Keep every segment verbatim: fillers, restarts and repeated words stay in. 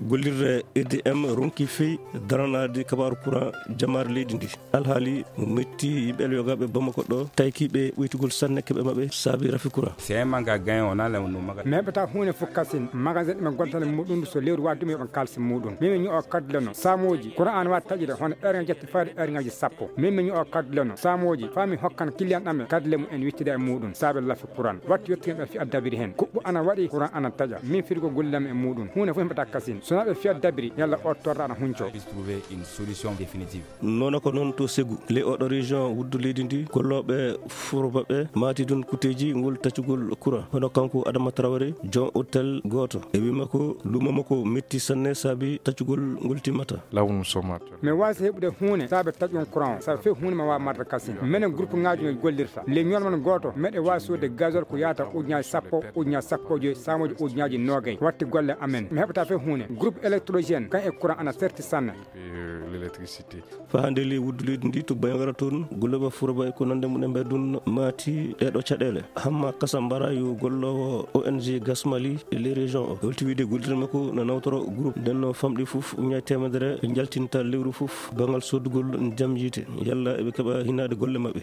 Gollirde E D M ronki fey daranaade kabaaru courant jamaare leydi ndi. Alhaali mo metti yimɓe Elyoga ɓe Bamako ɗo, tayki ɓe ɓoytugol sanne keɓe maɓɓe saabi rafi courant. C'est un manque à gagner, on a le, nos magasins. Mi heɓata huunde fof kasin, magasin ɗumen gontane muɗum so lewru waɗi ɗum yoɓan kalsi muɗum. Min mi ño'o kadle no, saamooji, courant an waɗi taƴude hono heure ngaji jetti faade heure ngaji sappo. Min mi ño'o kadle no, saamooji, faa mi hokkan client ɗam e kadle mum en wittida e muɗum, saabe lafi courant. Wattu yettude ɓe fi addabiri hen. Kuɓɓu ana waɗi, courant ana taƴa. Min firgo gollidam e muɗum. Huunde fof mi heɓata kasin. So na ɓe fi addabiri, yalla o torra ana hunco. Puisse trouver une solution définitive. Noona ko noon to Segu, le oɗo région wuddu leydi ndi, gollooɓe furo maɓɓe maati ɗum kuteeji ngol taccugol courant. Hono kanko Adama Traoré, joom hôtel gooto. E wii makko, luumo makko metti sanne saabi taccugol ngol timmata. Là où nous sommes actuellement. Mi waasi heɓude huunde saabe taƴugol courant o, saabe few huunde ma waawa marde kasin. Menen groupe ŋaaji no gollirta. Le ñool mon gooto, meɗe waawi soodde gasoil ko yaata ujunnaaji sappo, ujunnaaji sappo e joy, saamooji ujunnaaji noogay. Watti golle amen. Mi heɓata few huunde. Groupe électrogène, kan e courant ana serti sanne. Et, euh, l'électricité. Faa hannde ley wuddu leydi ndi to Bandiagara toon, gollooɓe furo maɓɓe ko nande mum e mbeddun maati ɗeeɗo caɗeele. Hamma Kasambara yo golloowo O N G Gas Mali e ley région o. Holti wiide gollirde makko na nawtoro groupe. Nden no famɗi fof ujunnaaji teemedere jaltinta lewru fof banngal soodugol jam yiite. Yalla eɓe keɓa hinaade golle maɓɓe.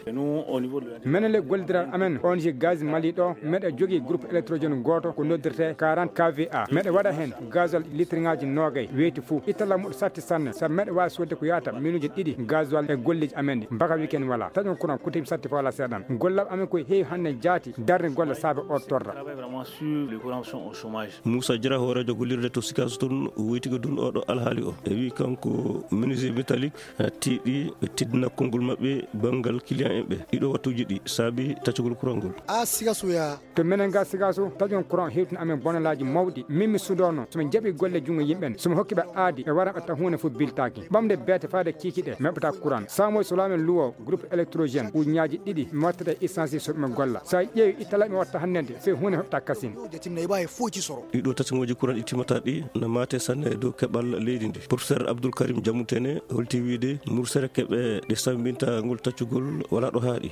Menen le gollidiral amen O N G Gaz Mali ɗo, meɗe jogii groupe électrogène gooto ko noddirte quarante K V A. Meɗe waɗa hen gasoil litre ŋaaji noogay weeti fuu. Ittala muɗo satti sanne, sabu meɗe waawi soodde ko yaata minuuji ɗiɗi gasoil e golleeji amen ɗi. Mbaka weekend wala. Taƴon courant kuteeji satti fof wala seeɗan. Gollal amen ko heewi hannde jaati darde golle saabe o torra. Travaille vraiment sur les courants sont au chômage. Moussa Diarra, hooreejo gollirde to Sikaso toon, woytike ɗum oɗo alhaali o. E wi kanko menuisier métallique, eh, tiiɗi teddinal konngol maɓɓe banngal client en ɓe. Ɗiɗo wattuuji ɗi saabi taccugol courant ngol. A Sikaso ya. To menen ga Sikaso, taƴon courant hewtina amen bonalaaji mawɗi. Min mi suudono, so min jaɓi golle junngo yimɓe en, so mi hokki ɓe aadi, ɓe wara ɓe taw huunde fof biltaaki. Ɓamde beete faade kiikiɗe, mi heɓata courant. Saamoy so laamen luwo, groupe électrogène, ujunnaaji ɗiɗi, mi wattata essence so mi golla. So a ƴeewi ittala mi watta hannde, sey huunde heɓta kasin. Ɗiɗo taccugooji courant ɗi timmata ɗi, na maate sanne e dow keɓal leydi ndi. Professeur Abdoul Karim Diamoutene holti wiide mursere keɓe ɗe sambinta ngol taccugol wala ɗo haaɗi.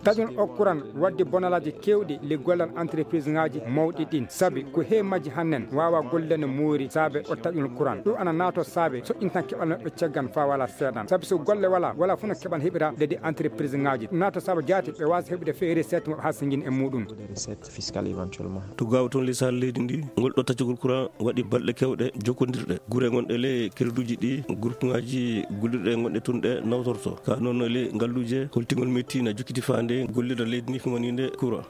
Taƴon o courant waddi bonalaaji keewɗi le gollal entreprise ŋaaji mawɗi ɗin. Sabi ko heewi majji hannen waawa gollude no moori saabe o taƴol courant. Ɗum ana naato saabe soƴƴintan keɓal maɓɓe caggan faa wala seeɗan. Sabi so golle wala, wala fof no keɓal heɓira leydi entreprise ŋaaji. Naato saabe jaati ɓe waasa heɓude fee recette maɓɓe haa singin e muɗum. Des recettes fiscales éventuellement. To gaaw toon lisal leydi ndi, ngol ɗo taccugol courant waɗi balɗe kewɗe jokkondirɗe. Gure gonɗe le kerduuji ɗi, groupe ŋaaji gollirɗe gonɗe toon ɗe nawtorto. Ka noon le ngalluuje holtingol metti na jokkiti faande gollirde leydi ndi humaninde courant.